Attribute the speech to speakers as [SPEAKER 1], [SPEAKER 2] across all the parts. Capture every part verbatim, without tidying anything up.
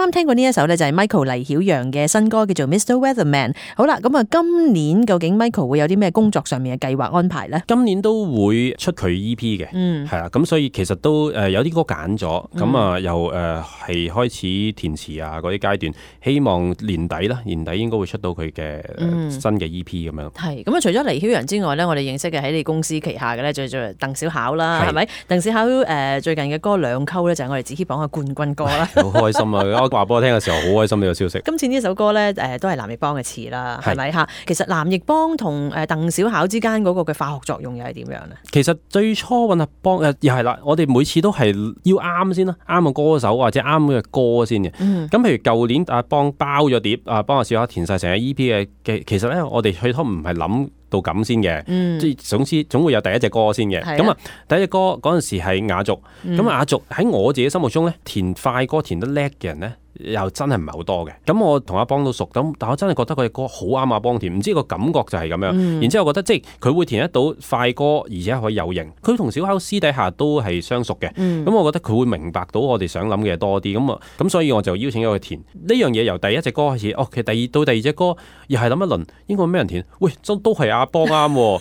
[SPEAKER 1] 啱聽過呢一首咧就係 Michael 黎曉陽嘅新歌叫做 Mister Weatherman。好啦，咁啊今年究竟 Michael 會有啲咩工作上面嘅計劃安排咧？
[SPEAKER 2] 今年都會出佢 E P 嘅，
[SPEAKER 1] 嗯，
[SPEAKER 2] 係啦，咁所以其實都誒有啲歌揀咗，咁啊又誒係開始填詞啊嗰啲階段，希望年底啦，年底應該會出到佢嘅新嘅 E P 咁樣。
[SPEAKER 1] 係咁啊！除咗黎曉陽之外咧，我哋認識嘅喺你公司旗下嘅咧，就做鄧小巧啦，係咪？鄧小巧誒最近嘅歌兩溝咧，就係我哋紫 K 榜嘅冠軍歌啦。
[SPEAKER 2] 好開心啊！我話俾我聽嘅時候，好開心呢個消息。
[SPEAKER 1] 今次呢首歌咧誒都係藍奕邦嘅詞啦，係咪嚇？其實藍奕邦同誒鄧小巧之間嗰個嘅化學作用又係點樣咧？
[SPEAKER 2] 其實最初揾阿邦誒又係啦，我哋每次都係要啱先啦，啱嘅歌手或者啱嘅歌先嘅。咁、嗯、譬如舊年阿邦包咗碟，阿邦阿小巧填晒成個 E P 嘅嘅，其實咧我哋最初唔係諗到咁先嘅，即係、嗯、總之總會有第一隻歌先嘅。咁啊，第一隻歌嗰陣時係雅族，咁、嗯、雅族喺我自己心目中咧，填快歌填得叻嘅人咧，又真係唔係好多嘅。咁我同阿邦都熟，咁但我真係覺得佢隻歌好啱阿邦填，唔知個感覺就係咁樣。嗯、然之後覺得即係佢會填得到快歌，而且可以有型。佢同小巧私底下都係相熟嘅，咁、嗯、我覺得佢會明白到我哋想諗嘅嘢多啲。咁啊，咁所以我就邀請咗佢填呢樣嘢。由第一隻歌開始，哦，其實第二到第二隻歌又係諗一輪，應該咩人填？喂，都都係阿邦啱。咁啊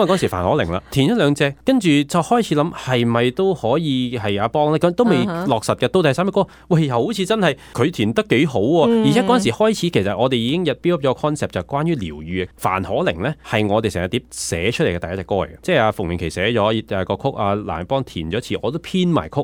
[SPEAKER 2] 嗰時范可寧啦，填咗兩隻，跟住就開始諗係咪都可以係阿邦咧？咁都未落實嘅。到第三隻歌，喂，又好似真係佢填得幾好喎。嗯、而且嗰陣時開始，其實我哋已經入 build up 咗 concept 就係關於療愈嘅。范可寧咧係我哋成日碟寫出嚟嘅第一隻歌嚟嘅，即係阿馮明琪寫咗誒個曲，阿藍奕邦填咗詞，我都編埋曲，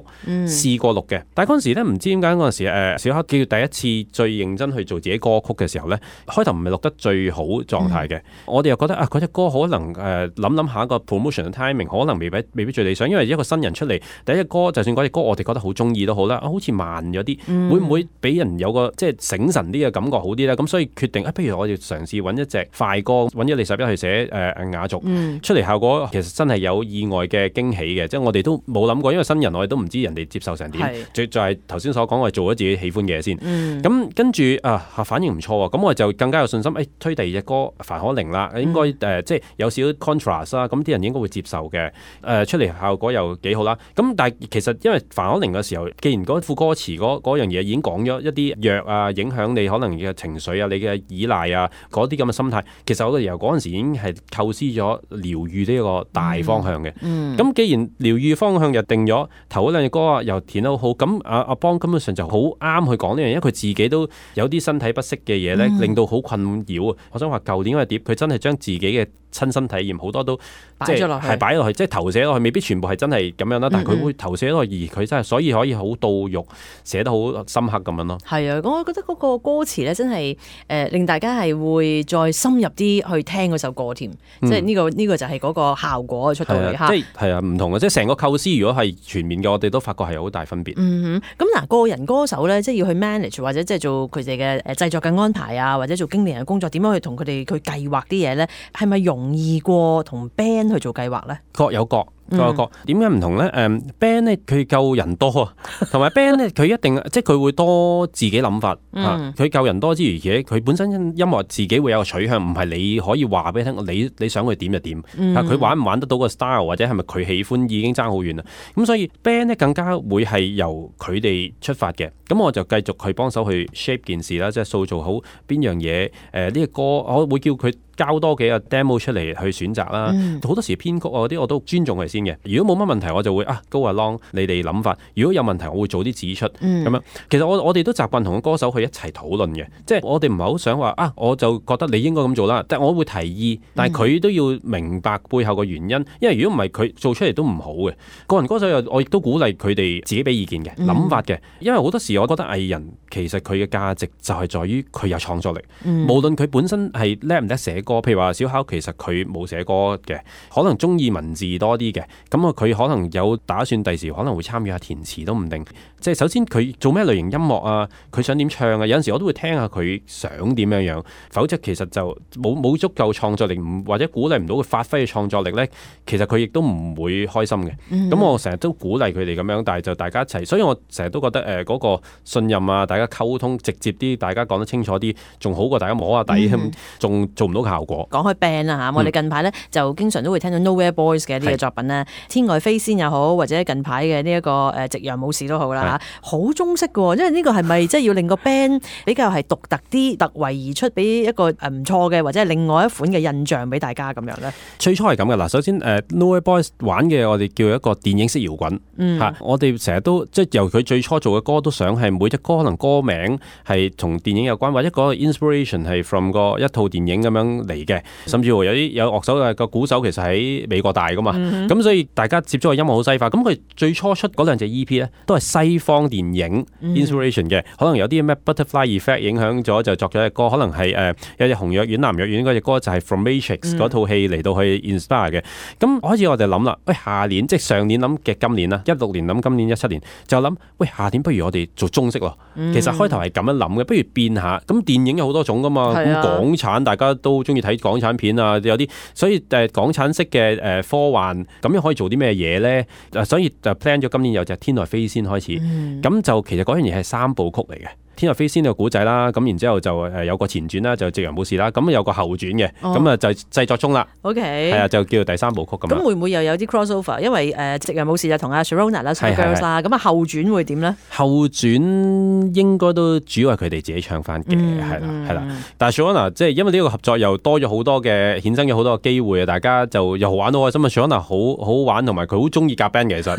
[SPEAKER 2] 試過錄嘅。但係嗰陣時咧唔知點解嗰陣時誒小巧叫第一次最認真去做自己歌曲嘅時候咧，開頭唔係錄得最好狀態嘅。嗯、我哋又覺得啊嗰隻歌可能誒諗諗下個 promotion 嘅 timing 可能未必未必最理想，因為一個新人出嚟第一隻歌，就算嗰隻歌我哋覺得好中意都好啦，好似慢咗啲，嗯、會唔會俾人有個即係醒神啲嘅感覺好啲咧？咁所以決定啊，不如我哋嘗試揾一隻快歌，揾一李十一去寫誒、呃、雅族、嗯、出嚟，效果其實真係有意外嘅驚喜嘅，即係我哋都冇諗過，因為新人我哋都唔知人哋接受成點，就就係頭先所講，我哋做咗自己喜歡嘅嘢先。咁、嗯、跟住啊反應唔錯喎，咁我哋就更加有信心，誒、哎、推第二隻歌范可寧啦，應該誒、呃、即係有少少 contrast 啦，咁啲人應該會接受嘅。誒、呃、出嚟效果又幾好啦。咁但係其實因為范可寧嘅時候，既然嗰副歌詞嗰嗰樣嘢已經講咗一啲藥啊，影響你可能嘅情緒啊，你嘅依賴啊，嗰啲咁嘅心態，其實我哋由嗰陣時已經係構思咗療愈呢個大方向嘅。咁、嗯嗯、既然療愈方向又定咗，頭嗰兩隻歌啊又填得好好，咁阿阿邦根本上就好啱去講呢樣嘢，因為佢自己都有啲身體不適嘅嘢咧，嗯、令到好困擾啊。我想話舊年嗰隻碟，佢真係將自己嘅親身體驗好多都擺咗落去，係擺落去，即係投寫落去，未必全部係真係咁樣啦。但係佢會投寫落去，而佢真係所以可以好到肉，寫得好深刻咁樣咯。係啊，我覺得嗰個歌詞咧真係誒、呃、令大家係會再深入啲去聽嗰首歌添，嗯、即係呢、這個呢、這個就係嗰個效果出到嚟嚇。即係係啊，唔同嘅，即係成個構思如果係全面嘅，我哋都發覺係好大分別。嗯哼，咁嗱，個人歌手咧，即係要去 manage 或者即係做佢哋嘅誒製作嘅安排啊，或者做經理人嘅工作，點樣去同佢哋去計劃啲嘢咧？係咪容易過同 band 去做計劃咧？各有各。各有各，點解唔同咧？誒、um, band 咧佢夠人多啊，同埋 band 咧佢一定即係佢會多自己諗法嚇。佢夠、嗯啊、人多之餘，而且佢本身音樂自己會有個取向，唔係你可以話俾佢聽，你你想佢點就點。佢、嗯、玩唔玩得到個 style 或者係咪佢喜歡已經爭好遠啦。咁所以 band 咧更加會係由佢哋出發嘅。咁我就繼續去幫手去 shape 件事啦，即係塑造好邊樣嘢。誒、呃、呢、這個歌我會叫佢交多幾個 demo 出嚟去選擇啦。好、嗯、多時編曲啊嗰啲我都尊重佢先嘅。如果冇乜問題，我就會啊 go along 你哋諗法。如果有問題，我會早啲指出咁、嗯、樣。其實我我哋都習慣同個歌手去一齊討論嘅，即係我哋唔係好想話啊，我就覺得你應該咁做啦。但係我會提議，但係佢都要明白背後嘅原因。因為如果唔係佢做出嚟都唔好嘅。個人歌手又我亦都鼓勵佢哋自己俾意見嘅諗法嘅。因為好多時我覺得藝人其實佢嘅價值就係在於佢有創作力。嗯、無論佢本身係叻唔叻寫歌，譬如話小巧其實佢冇寫歌嘅，可能中意文字多啲嘅。咁啊，佢可能有打算第時可能會參與下填詞都唔定。即係首先佢做咩類型音樂啊，佢想點唱啊，有陣時我都會聽下佢想點樣樣。否則其實就冇冇足夠創作力，或者鼓勵唔到佢發揮嘅創作力咧，其實佢亦都唔會開心嘅。咁、嗯、我成日都鼓勵佢哋咁樣，但係就大家一齊。所以我成日都覺得誒嗰、呃嗰個信任啊，大家溝通直接啲，大家講得清楚啲，仲好過大家摸下底咁，仲、嗯、做唔到效果。講開 band 啊嚇，我哋近排咧就經常都會聽到 Nowhere Boys 嘅呢個作品咧，天外飛仙又好，或者近排嘅呢一個誒夕陽武士都好啦。
[SPEAKER 1] 下，好中式嘅，因為呢個係咪即係要令個 band 比較係獨特啲、突圍而出，俾一個誒唔錯嘅或者係另外一款嘅印象俾大家咁樣咧？
[SPEAKER 2] 最初係咁嘅嗱，首先誒 Nowhere Boys 玩嘅我哋叫一個電影式搖滾嚇、嗯啊，我哋成日都即係由佢最初做嘅歌都想係每隻歌可能歌名係同電影有關，或者嗰個 inspiration 係 from 個一套電影咁樣嚟嘅，甚至乎有啲有樂手嘅個鼓手其實喺美國大噶嘛，咁、嗯、所以大家接觸嘅音樂好西化，咁佢最初出嗰兩隻 E P 咧都係西方電影 inspiration 嘅、嗯，可能有啲咩 Butterfly Effect 影響咗就作咗隻歌，可能係誒、呃、有隻紅藥丸藍藥丸嗰隻歌就係 From Matrix 嗰套戲嚟到去 inspire 嘅，咁開始我哋諗啦，喂下年即係上年諗嘅今年啦，一六年諗今年一七年就諗，喂下年不如我哋做中式咯、嗯，其實開頭係咁樣諗嘅，不如變下，咁電影有好多種噶嘛，咁、啊、港產大家都中意睇港產片啊，有啲所以誒港產式嘅誒科幻咁樣可以做啲咩嘢咧？所以就 plan 咗今年有隻天外飛仙開始，咁、嗯、就其實嗰樣嘢係三部曲嚟嘅。天外飛仙呢個古仔啦，咁然之後就誒有個前傳啦，就夕陽武士啦，咁有個後傳嘅，咁啊就製作中啦。OK， 係啊，就叫做第三部曲咁。咁會唔會又有啲 crossover？因為誒夕陽武士就同阿 Sharona 啦、Super Girls 啦，咁啊後傳會點咧？後傳應該都主要係佢哋自己唱翻嘅，係啦係啦。但係 Sharona 即係因為呢個合作又多咗好多嘅衍生咗好多嘅機會啊，大家就又玩到開心啊 Sharona 好好玩，同埋佢好中意夾 band 嘅其實。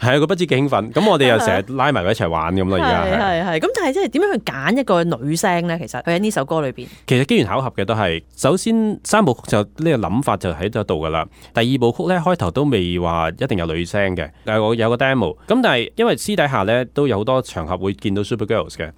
[SPEAKER 2] 係啊，佢不知幾興奮，咁我哋又成日拉埋佢一齊玩咁咯，而家係係咁，但係即係點樣去揀一個女聲咧？其實佢喺呢首歌裏邊，其實機緣巧合嘅都係，首先三部曲就呢個諗法就喺度噶啦。第二部曲咧開頭都未話一定有女聲嘅，但係我有個 demo，咁但係因為私底下咧都有好多場合會見到 Super Girls 嘅，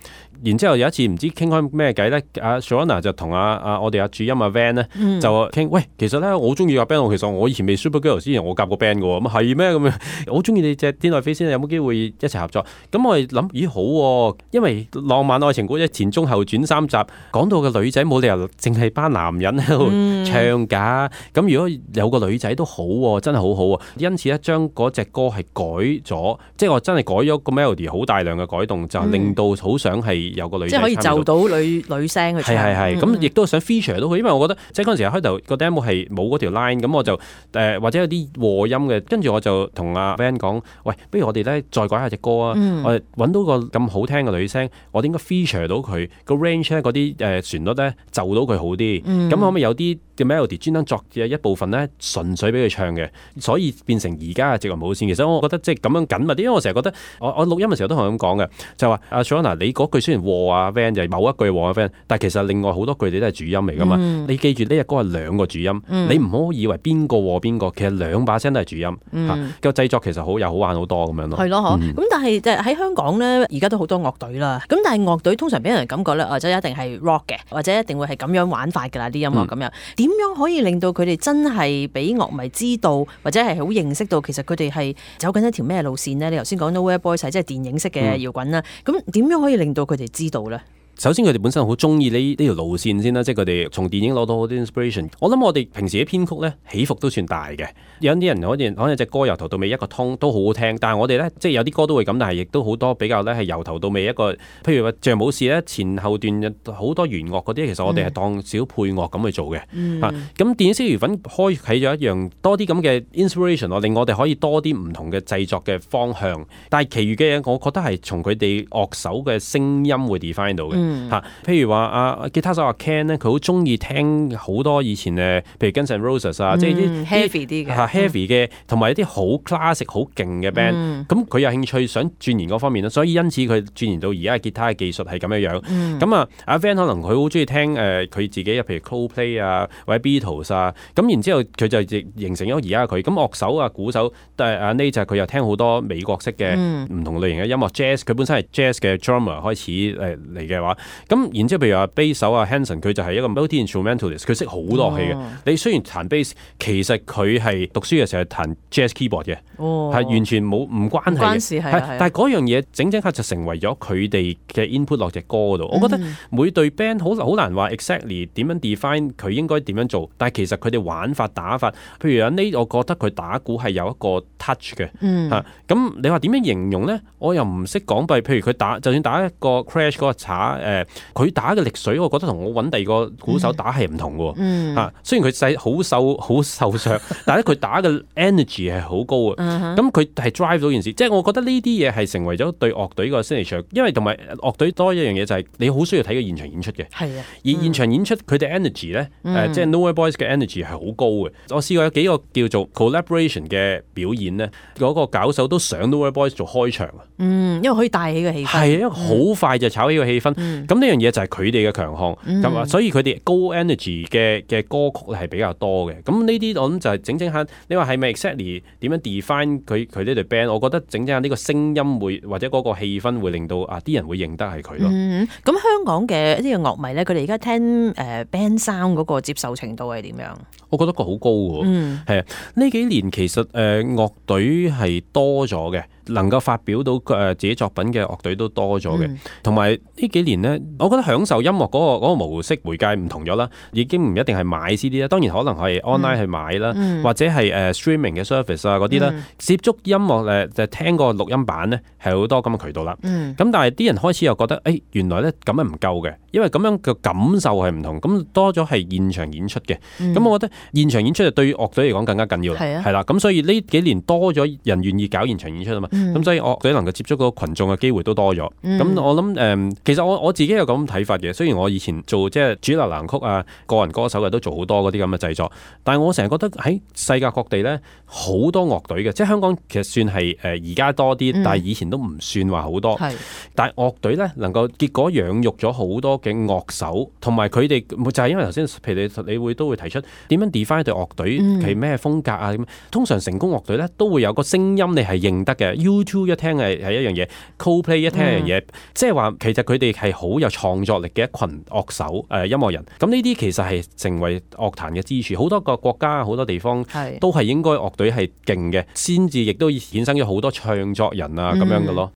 [SPEAKER 2] 然之後有一次唔知傾開咩偈咧，阿 Sharona 就同阿阿我哋阿主音阿 Van 咧就傾，喂，其實咧我好中意夾 band，我其實我以前未 Super Girls 之前我夾過 band 嘅喎，咁係咩咁樣？我好中意你隻天外飛仙，有冇機會一齊合作？咁我哋諗，咦好喎、啊，因為浪漫愛情故一前中後轉三集，講到個女仔冇理由淨係班男人喺度唱㗎。咁、嗯、如果有個女仔都好喎、啊，真係好好啊。因此咧，將嗰隻歌係改咗，即係我真係改咗個 melody， 好大量嘅改動，就令到好想係有個女仔、嗯，即係可以就到女女聲去唱。係係係，咁亦都想 feature 到佢，因為我覺得即係嗰陣時開頭個 demo 係冇嗰條 line，咁我就誒、呃、或者有啲和音嘅，跟住我就同阿 Van 講，喂，不如我哋咧再改下隻歌啊！嗯、我哋揾到個咁好聽嘅女聲，我哋應該 feature 到佢個 range 咧，嗰啲誒旋律咧就到佢好啲。咁、嗯、可唔可以有啲嘅 melody 專登作嘅一部分咧，純粹俾佢唱嘅，所以變成而家嘅夕陽無線。其實我覺得即係咁樣緊密啲，因為我成日覺得我我錄音嘅時候都同佢咁講嘅，就話阿 Sharona 你嗰句雖然和啊 Van 就係某一句和啊 Van， 但係其實另外好多句你都係主音嚟噶嘛。嗯、你記住呢隻歌係兩個主音，嗯、你唔好以為邊個和邊個，其實兩把聲都係主音。個、嗯、製作其實好又好玩好多咁樣咯。係咯，嗬、嗯。咁但係喺香港咧，而家都好多樂隊啦。咁但係樂隊通常俾人感覺咧，或者一定係 rock 嘅，或者一定會係咁樣玩法㗎啦啲音樂咁樣。點、嗯、樣可以令到佢哋真係俾樂迷知道，或者係好認識到其實佢哋係走緊一條咩路線呢？你頭先講 Nowhere Boys 係即係電影式嘅搖滾啦。咁、嗯、點樣可以令到佢哋知道咧？首先佢哋本身好中意呢呢條路線先啦，即係佢哋從電影攞到好多 inspiration。我諗我哋平時嘅編曲咧起伏都算大嘅，有啲人可能可能隻歌由頭到尾一個通都好好聽，但係我哋咧即係有啲歌都會咁，但係亦都好多比較咧係由頭到尾一個，譬如話像武士咧前後段好多弦樂嗰啲，其實我哋係當小配樂咁去做嘅。咁、嗯啊、電影式搖滾開啟咗一樣多啲咁嘅 inspiration， 令我哋可以多啲唔同嘅製作嘅方向。但係其餘嘅嘢，我覺得係從佢哋樂手嘅聲音會 define 到嘅。嗯嚇、啊，譬如話阿吉他手阿 Ken 咧，佢好中意聽好多以前誒，譬如 Guns N' Roses 啊，嗯、即係啲 heavy 啲嘅，heavy 嘅，同埋一啲好 classic 好勁嘅 band。咁、嗯、佢有興趣想鑽研嗰方面啦，所以因此佢鑽研到而家嘅吉他嘅技術係咁樣樣。咁、嗯、啊，阿 Van 可能佢好中意聽誒，佢、呃、自己譬如 Coldplay 啊，或者 Beatles 啊，咁然之後佢就形成咗而家佢。咁樂手啊、鼓手，但係阿 Nate 就佢又聽好多美國式嘅唔同類型嘅音樂、嗯、jazz， 佢本身係 jazz 嘅 drummer 開始誒嚟嘅話。咁然之後，譬如話 bass 手啊 Hanson， 佢就係一個 multi-instrumentalist， 佢識好多樂器嘅、哦。你雖然彈 bass， 其實佢係讀書嘅時候係彈 jazz keyboard 嘅，係、哦、完全冇唔關係嘅。關事係，但係嗰樣嘢整整下就成為咗佢哋嘅 input 落隻歌嗰度、嗯。我覺得每隊 band 好好難話 exactly 點樣 define 佢應該點樣做，但係其實佢哋玩法打法，譬如阿 Nate， 我覺得佢打鼓係有一個 touch 嘅。咁、嗯啊、你話點樣形容咧？我又唔識講，譬如佢打，就算打一個 crash 嗰個叉誒佢打嘅力水，我覺得同我揾第二個鼓手打係唔同嘅喎。
[SPEAKER 1] 嗯，
[SPEAKER 2] 嚇，雖然佢細好瘦好瘦削，但係咧佢打嘅 energy 係好高嘅。咁佢係 drive 到件事，即係我覺得呢啲嘢係成為咗對樂隊個 signature，因為同埋樂隊多一樣嘢就係你好需要睇個現場演出嘅。
[SPEAKER 1] 係啊，
[SPEAKER 2] 而現場演出佢哋 energy 咧，誒即係 Nowhere Boys 嘅 energy 係好高嘅。我試過有幾個叫做 collaboration 嘅表演咧，嗰個搞手都上 Nowhere Boys 做開場啊。
[SPEAKER 1] 嗯，因為可以帶起個氣氛。係，
[SPEAKER 2] 因為好快就炒起個氣氛。咁呢樣嘢就係佢哋嘅強項。咁啊，所以佢哋高 energy 嘅嘅歌曲係比較多嘅。咁呢啲我諗就係整整下，你話係咪 exactly 點樣 define 佢佢呢隊 band？我覺得整整下呢個聲音會或者嗰個氣氛會令到啊啲人會認得係佢咯。
[SPEAKER 1] 嗯，咁香港嘅一啲嘅樂迷咧，佢哋而家聽誒 band sound 嗰個接受程度係點樣？
[SPEAKER 2] 我覺得個好高嘅，嗯，係啊，呢幾年其實誒、呃、樂隊係多咗嘅，能夠發表到誒、呃、自己作品嘅樂隊都多咗嘅，同埋呢幾年咧，我覺得享受音樂嗰、嗰個嗰個模式媒介唔同咗啦，已經唔一定係買 C D 啦，當然可能係 online 去買啦，嗯、或者係誒、呃、streaming 嘅 service 啊嗰啲啦，嗯、接觸音樂誒就聽個錄音版咧係好多咁嘅渠道啦，咁、嗯、但係啲人開始又覺得誒、欸、原來咧咁樣唔夠嘅，因為咁樣嘅感受係唔同，咁多咗係現場演出嘅，咁、嗯、我覺得現場演出就對於樂隊嚟講更加緊要啦，係啦、啊，咁所以呢幾年多咗人願意搞現場演出啊嘛，咁、嗯、所以樂隊能夠接觸嗰個群眾嘅機會都多咗。咁、嗯、我諗誒、呃，其實我我自己有咁睇法嘅。雖然我以前做即係主流流行曲啊，個人歌手嘅都做好多嗰啲咁嘅製作，但係我成日覺得喺世界各地咧好多樂隊嘅，即係香港其實算係誒而家多啲，嗯、但係以前都唔算話好多。係，但係樂隊咧能夠結果養育咗好多嘅樂手，同埋佢哋就係因為頭先，譬如你你會都會提出點樣 define 對樂隊係咩風格啊咁。通常成功樂隊咧都會有個聲音你係認得嘅 ，U 二 一聽係係一樣嘢 ，Coldplay 一聽係一樣嘢，即係話其實佢哋係好有創作力嘅一群樂手誒、呃、音樂人。咁呢啲其實係成為樂壇嘅支柱。好多個國家好多地方都係應該樂隊係勁嘅，先至亦都衍生咗好多唱作人啊咁樣嘅咯。